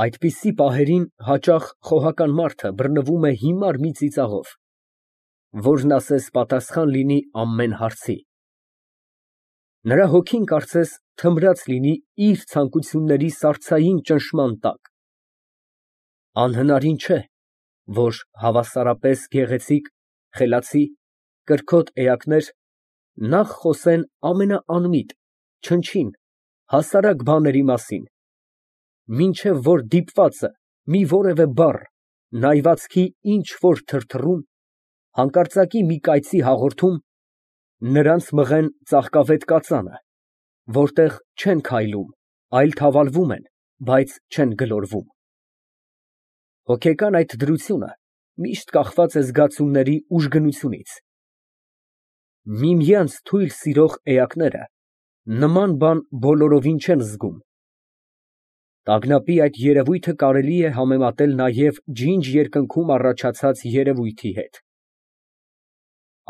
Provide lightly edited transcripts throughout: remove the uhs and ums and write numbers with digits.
Այդպիսի պահերին հաճախ խոհական մարդը բռնվում է հիմար մի ծիծաղով, որն ասես պատասխան լինի ամեն հարցի։ Նրա հոգին կարծես թմրած լինի իր ցանկությունների սառցային ճնշման տակ։ Անհնարին չէ, որ հավասարապես գեղեցիկ, խելացի, կրքոտ էակներ նախ խոսեն ամենաանմիտ, չնչին, հասարակ բաների մասին, մինչև որ դիպվածը մի որևէ բառ, նայվածքի ինչ֊որ թրթռում, հանկարծակի մի կայծի հաղորդում, նրանց մղեն ծաղկավետ կածանը, որտեղ չեն քայլում, այլ թավալվում են, բայց չեն գլորվում։ Հոգեկան այդ դրությունը միշտ կախված է զգացումների ուժգնությունից։ Միմյանց թույլ սիրող էակները նման բան բոլորովին չեն զգում։ Տագնապի այդ երևույթը կարելի է համեմատել նաև ջինջ երկնքում առաջացած երևույթի հետ։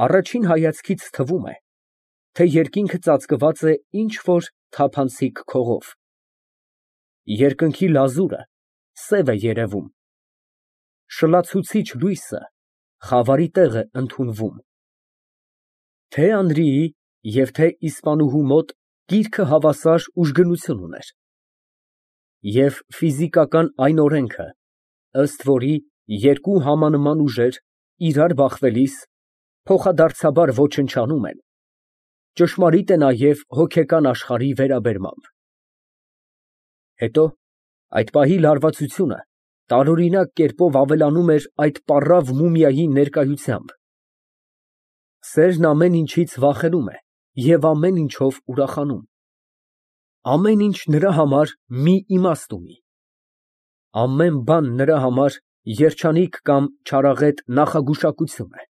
Առաջին հայացքից թվում է, թե երկինքը ծածկված է ինչ֊որ թափանցիկ քողով։ Երկնքի լազուրը սև է երևում, շլացուցիչ լույսը խավարի տեղ է ընդունվում։ Թե Անրիի և թե իսպանուհու մոտ գիրքը հավասար ուժգնություն ուներ։ Եվ ֆիզիկական այն օրենքը, ըստ որի երկու համանման ուժեր իրար բախվելիս փոխադարձաբար ոչնչանում են, ճշմարիտ է նաև հոգեկան աշխարհի վերաբերմամբ։ Հետո այդ պահի լարվածությունը տարօրինակ կերպով ավելանում էր այդ պառավ մումիայի ներկայությամբ։ Սերն ամեն ինչից վախենում է և ամեն ինչով ուրախանում։ Ամեն ինչ նրա համար մի իմաստ ունի։ Ամեն բան նրա համար երջանիկ կամ չարաղետ նախագուշակություն է։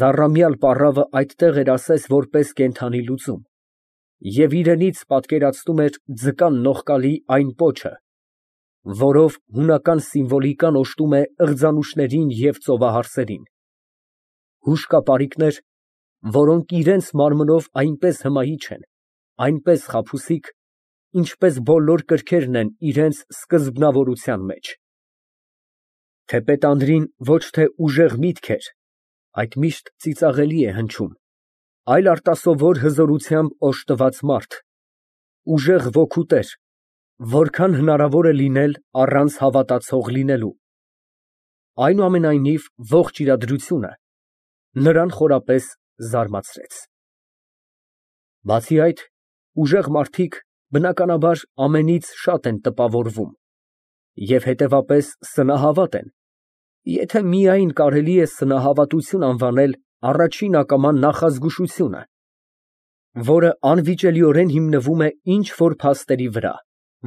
Զառամյալ պառավը այդտեղ էր ասես որպես կենդանի լուծում և իրենից պատկերացնում էր ձկան նողկալի այն պոչը, որով հունական սիմվոլիկան օժտում է ըղձանուշներին և ծովահարսերին, հուշկապարիկներ, որոնք իրենց մարմնով այնպես հմայիչ են, այնպես խաբուսիկ, ինչպես բոլոր կրքերն են իրենց սկզբնավորության մեջ։ Թեպետ Անրին ոչ թե ուժեղ միտք էր, այդ միշտ ծիծաղելի է հնչում, այլ արտասովոր հզորությամբ օժտված մարդ, ուժեղ ոգու տեր, որքան հնարավոր է լինել առանց հավատացող լինելու։ Այնուամենայնիվ ողջ իրադրությունը նրան խորապես զարմացրեց։ Բացի այդ, ուժեղ մարդիկ բնականաբար ամենից շատ են տպավորվում և հետևապես սնահավատ են, եթե միայն կարելի է սնահավատություն անվանել առաջին ակամա նախազգուշությունը, որը անվիճելիորեն հիմնվում է ինչ֊որ փաստերի վրա,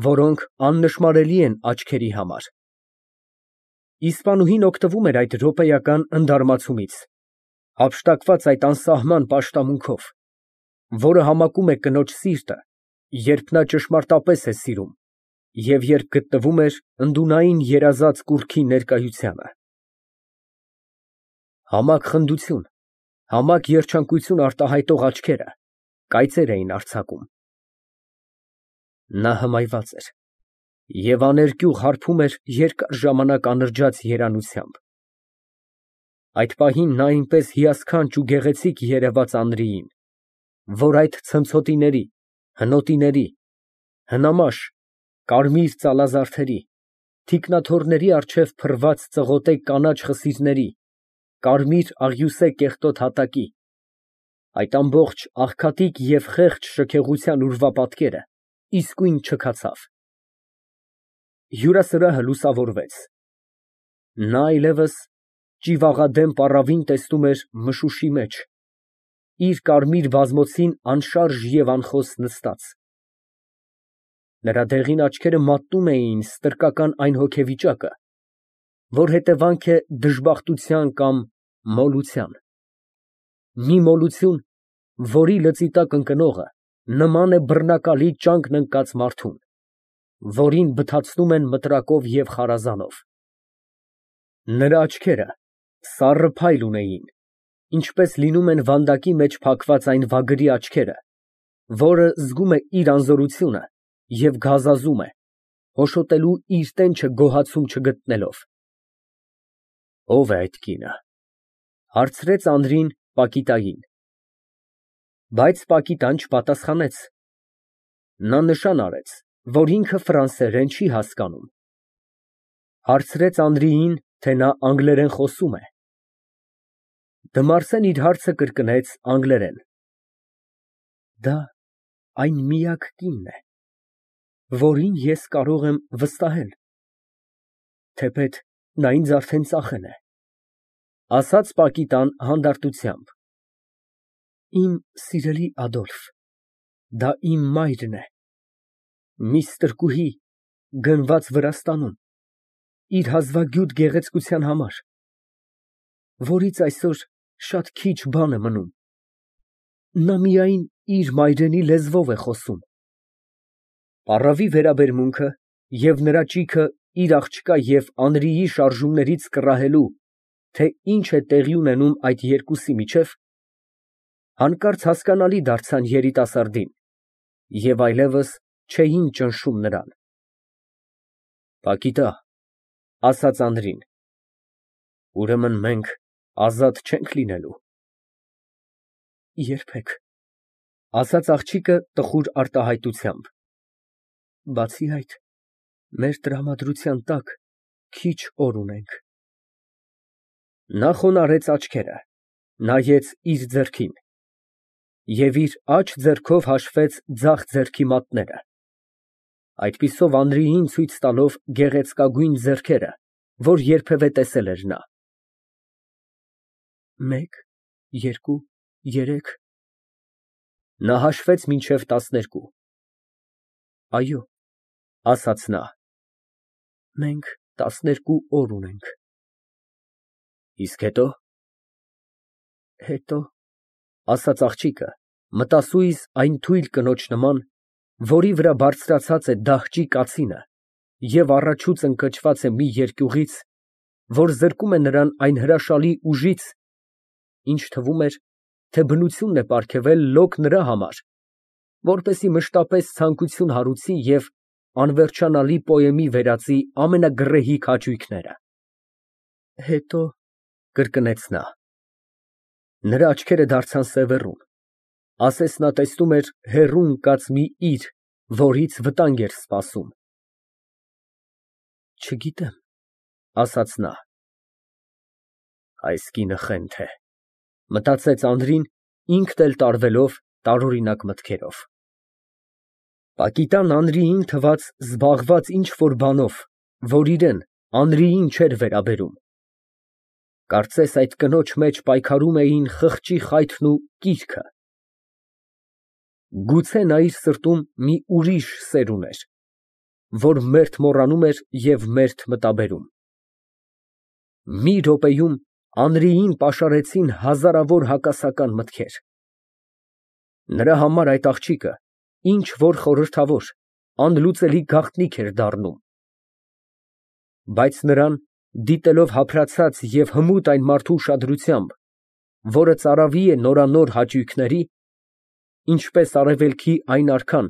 որոնք աննշմարելի են աչքերի համար։ Իսպանուհին օգտվում էր այդ րոպեական ընդարմացումից, հափշտակված այդ անսահման պաշտամունքով, որը համակում է կնոջ սիրտը, երբ նա ճշմարտապես է սիրում և երբ գտնվում էր ընդունային երազած կուռքի ներկայությանը։ Համակ խնդություն, համակ երջանկություն արտահայտող աչքերը կայծեր էին արձակում։ Նա հմայված էր և աներկյուղ հարբում էր երկար ժամանակ անրջած երանությամբ։ Այդ պահին նա այնպես հիասքանչ ու գեղեցիկ երևաց Անրիին, որ այդ ցնցոտիների, հնոտիների, հնամաշ, կարմիր ծալազարդերի, թիկնաթոռների առջև փռված ծղոտե կանաչ խսիրների, կարմիր աղյուսե կեղտոտ հատակի, այդ ամբողջ աղքատիկ և խեղճ շքեղության ուրվապատկերը իսկույն չքացավ։ Հյուրասրահը լուսավորվեց։ Նա այլևս ճիվաղադեմ պառավին տեսնում էր մշուշի մեջ, իր կարմիր բազմոցին անշարժ և անխոս նստած։ Նրա դեղին աչքերը մատնում էին ստրկական այն հոգեվիճակը, որ հետևանք է դժբախտության կամ մոլության։ Մի մոլություն, որի լծի տակ ընկնողը նման է բռնակալի ճանկն ընկած մարդուն, որին բթացնում են մտրակով և խարազանով։ Նրա աչքերը սառը փայլ ունեին, ինչպես լինում են վանդակի մեջ փակված այն վագրի աչքերը, որը զգում է իր անզորությունը և գազազում է, հոշոտելու իր տենչը գոհացում չգտնելով։ Ո՞վ է այդ կինը, հարցրեց Անդրին Պակիտային։ Բայց Պակիտան չպատասխանեց։ Նա նշան արեց, որ ինքը ֆրանսերեն չի հասկանում։ Հարցրեց Անդրեին, թե նա անգլերեն խոսում է։ Դմարսեն իր հարցը կրկնեց անգլերեն։ Դա այն միակ կինն է, որին ես կարող եմ վստահել, թեպետ նա ինձ արդեն ծախել է, ասաց Պակիտան հանդարտությամբ։ Իմ սիրելի Ադոլֆ, դա իմ մայրն է, մի ստրկուհի, գնված Վրաստանում, իր հազվագյուտ գեղեցկության համար, որից այսօր շատ քիչ բան է մնում։ Նա միայն իր մայրենի լեզվով է խոսում։ Պառավի վերաբերմունքը և նրա ճիգը իր աղջկա և Անրիի շարժումներից կռահելու, թե ինչ է տեղի ունենում այդ երկուսի միջև, հանկարծ հասկանալի դարձան երիտասարդին և այլևս չէին ճնշում նրան։ Պակիտա, ասաց Անդրին, ուրեմն մենք ազատ չենք լինելու։ Երբեք, ասաց աղջիկը տխուր արտահայտությամբ։ Բացի այդ, մեր տրամադրության տակ քիչ օր ունենք։ Նա խոնարհեց աչքերը, նայեց իր ձեռքին և իր աջ ձեռքով հաշվեց ձախ ձեռքի մատները, այդպիսով Անդրեին ցույց տալով գեղեցկագույն ձեռքերը, որ երբևէ տեսել էր նա։ 1, 2, 3 Նա հաշվեց մինչև 12։ Այո, ասաց նա, մենք 12 օր ունենք։ Իսկ հետո։ Հետո, ասաց աղջիկը, մտասույզ այն թույլ կնոջ նման, որի վրա բարձրացած է դահճի կացինը և առաջուց ընկճված է մի երկյուղից, որ զրկում է նրան այն հրաշալի ուժից, ինչ թվում էր, թե բնությունն է պարգևել լոկ նրա համար, որպեսզի մշտապես ցանկություն հարուցի և անվերջանալի պոեմի վերածի ամենագռեհիկ հաճույքները։ Հետո, կրկնեց նա։ Նրա աչքերը դարձան սևեռուն, ասես նա տեսնում էր հեռու ընկած մի իր, որից վտանգ էր սպասում։ Չգիտեմ, ասաց նա։ Այս կինը խենթ է, մտածեց Անդրին, ինքն էլ տարվելով տարօրինակ մտքերով։ Պակիտան Անրիին թվաց զբաղված ինչ֊որ բանով, որ իրան, Անրիին չէր վերաբերում։ Կարծես այդ կնոջ մեջ պայքարում էին խղճի խայթն ու կիրքը։ Գուցե նա իր սրտում մի ուրիշ սեր ուներ, որ մերթ մոռանում էր և մերթ մտաբերում։ Մի րոպեում Անրիին պաշարեցին հազարավոր հակասական մտքեր։ Նրա համար այդ աղջիկը ինչ որ խորհրդավոր, անլուծելի գաղտնիք էր դառնում։ Բայց նրան, դիտելով հափրացած և հմուտ այն մարդու ուշադրությամբ, որը ծարավի է նորանոր հաճույքների, ինչպես արևելքի այն արքան,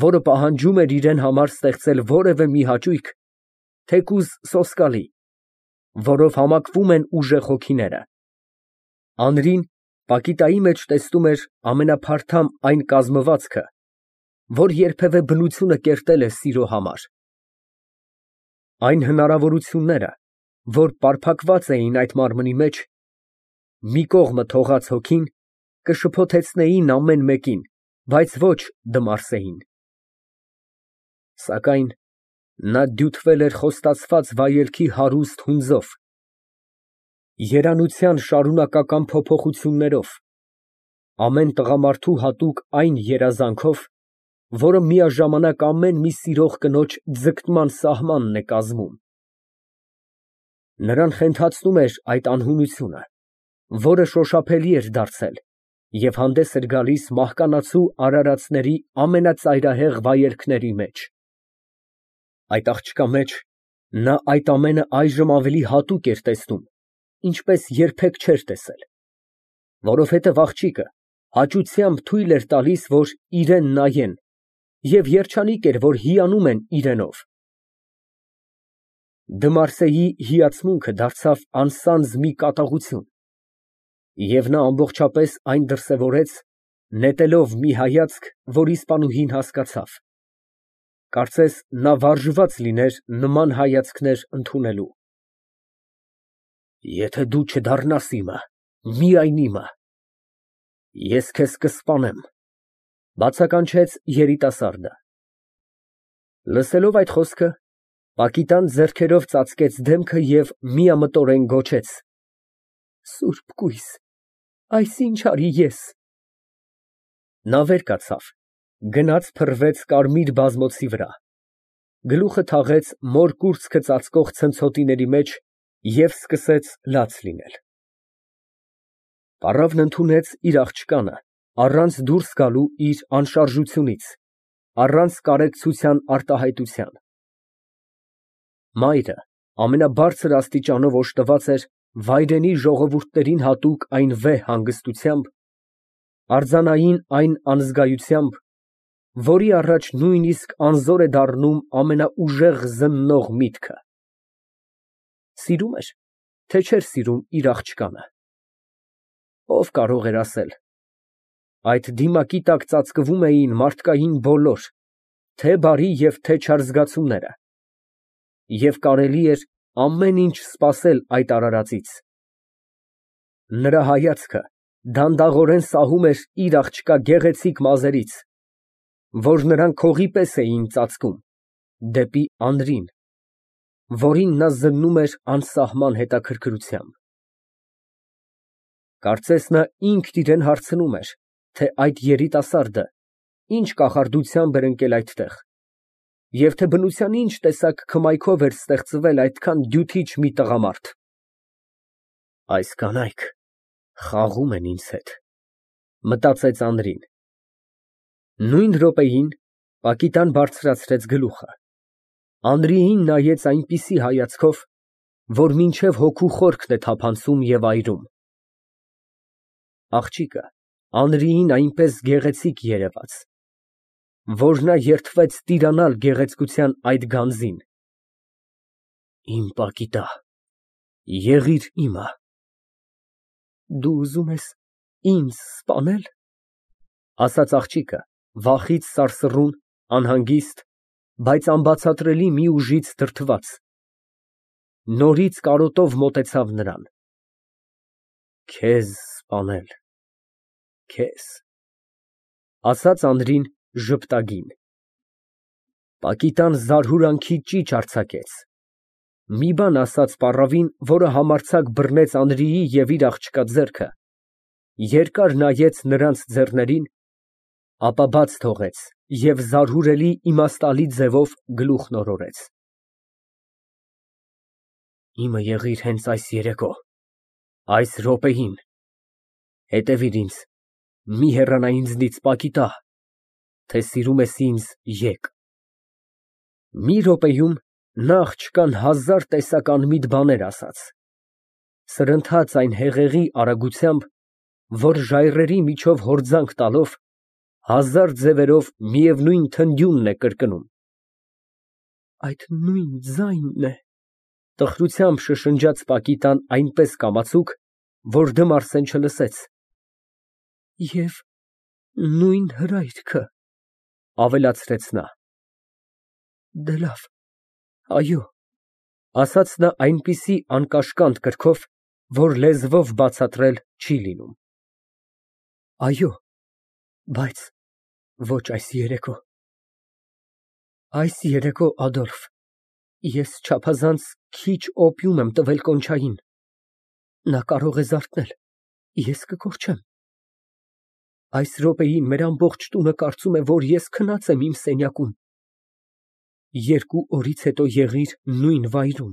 որը պահանջում էր իրան համար ստեղծել որևէ մի հաճույք, թեկուզ սոսկալի, որով համակվում են ուժեղ հոգիները, Անրին Պակիտայի մեջ տեսնում էր ամենափարթամ այն կազմվածքը, որ երբևէ բնությունը կերտել է սիրո համար։ Այն հնարավորությունները, որ պարփակված էին այդ մարմնի մեջ, մի կողմը թողած հոգին, կշփոթեցնեին ամեն մեկին, բայց ոչ Դմարսեին։ Սակայն նա դյութվել էր խոստացված վայելքի հարուստ հունձով, երանության շարունակական փոփոխություններով, ամեն տղամարդու հատուկ այն երազանքով, որը միաժամանակ ամեն մի սիրող կնոջ ձգտման սահմանն է կազմում։ Նրան խենթացնում էր այդ անհունությունը, որը շոշափելի էր դարձել և հանդես էր գալիս մահկանացու արարածների ամենածայրահեղ վայելքների մեջ։ Այդ աղջկա մեջ նա այդ ամենը այժմ ավելի հատուկ էր տեսնում, ինչպես երբեք չէր տեսել, որովհետև աղջիկը հաճությամբ թույլ էր տալիս, որ իրան նայեն, և երջանիկ էր, որ հիանում են իրենով, Դմարսեի հիացմունքը դարձավ անսանձ մի կատաղություն, և նա ամբողջապես այն դրսևորեց, նետելով մի հայացք, որ իսպանուհին հասկացավ. կարծես նա վարժված լիներ նման հայացքներ ընդունելու։ Եթե դու չդառնաս իմը, միայն իմը, ես քեզ կսպանեմ, բացականչեց երիտասարդը։ Լսելով այդ խոսքը, Պակիտան ձեռքերով ծածկեց դեմքը և միամտորեն գոչեց. «Սուրբ կույս, այս ինչ արի ես»։ Նա վեր կացավ, գնաց փռվեց կարմիր բազմոցի վրա, գլուխը թաղեց մոր կուրծքը ծածկող ցնցոտիների մեջ և սկսեց լաց լինել։ Պառավն ընդունեց իր աղջկանը առանց դուրս գալու իր անշարժությունից, առանց կարեկցության արտահայտության։ Մայրը ամենաբարձր աստիճանով օժտված էր վայրենի ժողովուրդներին հատուկ այն վեհ հանգստությամբ, արձանային այն անզգայությամբ, որի առաջ նույնիսկ անզոր է դառնում ամենաուժեղ զննող միտքը։ Սիրում էր, թե չէր սիրում իր աղջկանը։ Ո՞վ կարող էր ասել։ Այդ դիմակի տակ ծածկվում էին մարդկային բոլոր, թե բարի և թե չար զգացումները, և կարելի էր ամեն ինչ սպասել այդ արարածից։ Նրա հայացքը դանդաղորեն սահում էր իր աղջկա գեղեցիկ մազերից, որ նրան քողի պես էին ծածկում, դեպի Անդրին, որին նա զննում էր անսահման հետաքրքրությամբ։ Կարծես նա ինքն իրան հարցնում էր, թե այդ երիտասարդը ինչ կախարդությամբ էր ընկել այդտեղ, և թե բնության ինչ տեսակ քմայքով էր ստեղծվել այդքան դյութիչ մի տղամարդ։ Այս կանայք խաղում են ինձ հետ, մտածեց Անդրին։ Նույն րոպեին Պակիտան բարձրացրեց գլուխը, Անդրեին նայեց այնպիսի հայացքով, որ մինչև հոգու խորքն է թափանցում և այրում։ Աղջիկը Անդրեին այնպես գեղեցիկ երևաց, որ նա երդվեց տիրանալ գեղեցկության այդ գանձին։ Իմ Պակիտա, եղիր իմը։ Դու ուզում ես ինձ սպանել, ասաց աղջիկը, վախից սարսռուն, անհանգիստ, բայց անբացատրելի մի ուժից դրդված, նորից կարոտով մոտեցավ նրան։ Քեզ սպանել, քեզ, ասաց Անդրին ժպտագին։ Պակիտան զարհուրանքի ճիչ արձակեց, մի բան ասաց պառավին, որը համարձակ բռնեց Անդրեի և իր աղջկա ձեռքը, երկար նայեց նրանց ձեռներին, ապա բաց թողեց և զարհուրելի իմաստալի ձևով գլուխն օրորեց։ Իմը եղիր հենց այս երեկո, այս րոպեին, հետևիր ինձ, մի հեռանա ինձնից, Պակիտա, թե սիրում ես ինձ, եկ։ Մի րոպեում նա աղջկան հազար տեսակ անմիտ բաներ ասաց, սրընթաց այն հեղեղի արագությամբ, որ ժայռերի միջով հորձանք տալով, հազար ձևերով միևնույն թնդյունն է կրկնում։ Այդ նույն ձայնն է, տխրությամբ շշնջաց Պակիտան այնպես կամացուկ, որ Դմարսեն չլսեց։ Եվ նույն հրայրքը, ավելացրեց նա։ Դե լավ, այո, ասաց նա այնպիսի անկաշկանդ կրքով, որ լեզվով բացատրել չի լինում։ Այո, բայց ոչ այս երեկո։ Այս երեկո, Ադոլֆ, ես չափազանց քիչ օպիում եմ տվել Կոնչային, նա կարող է զարթնել, ես կկորչեմ։ Այս րոպեին մեր ամբողջ տունը կարծում է, որ ես քնած եմ իմ սենյակում։ 2 օրից հետո եղիր նույն վայրում,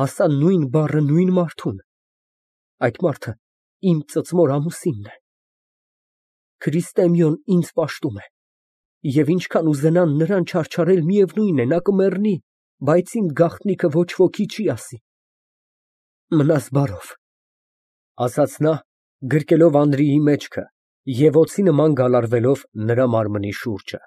ասա նույն բառը նույն մարդուն։ Այդ մարդը իմ ծծմոր ամուսինն է։ Քրիստեմիոն ինձ պաշտում է, և ինչքան ուզենան նրան չարչարել, միևնույն է, նա կմեռնի, բայց իմ գաղտնիքը ոչ ոքի չի ասի։ Մնաս բարով, ասաց նա, գրկելով Անդրեի մեջքը և օձի նման գալարվելով նրա մարմնի շուրջը։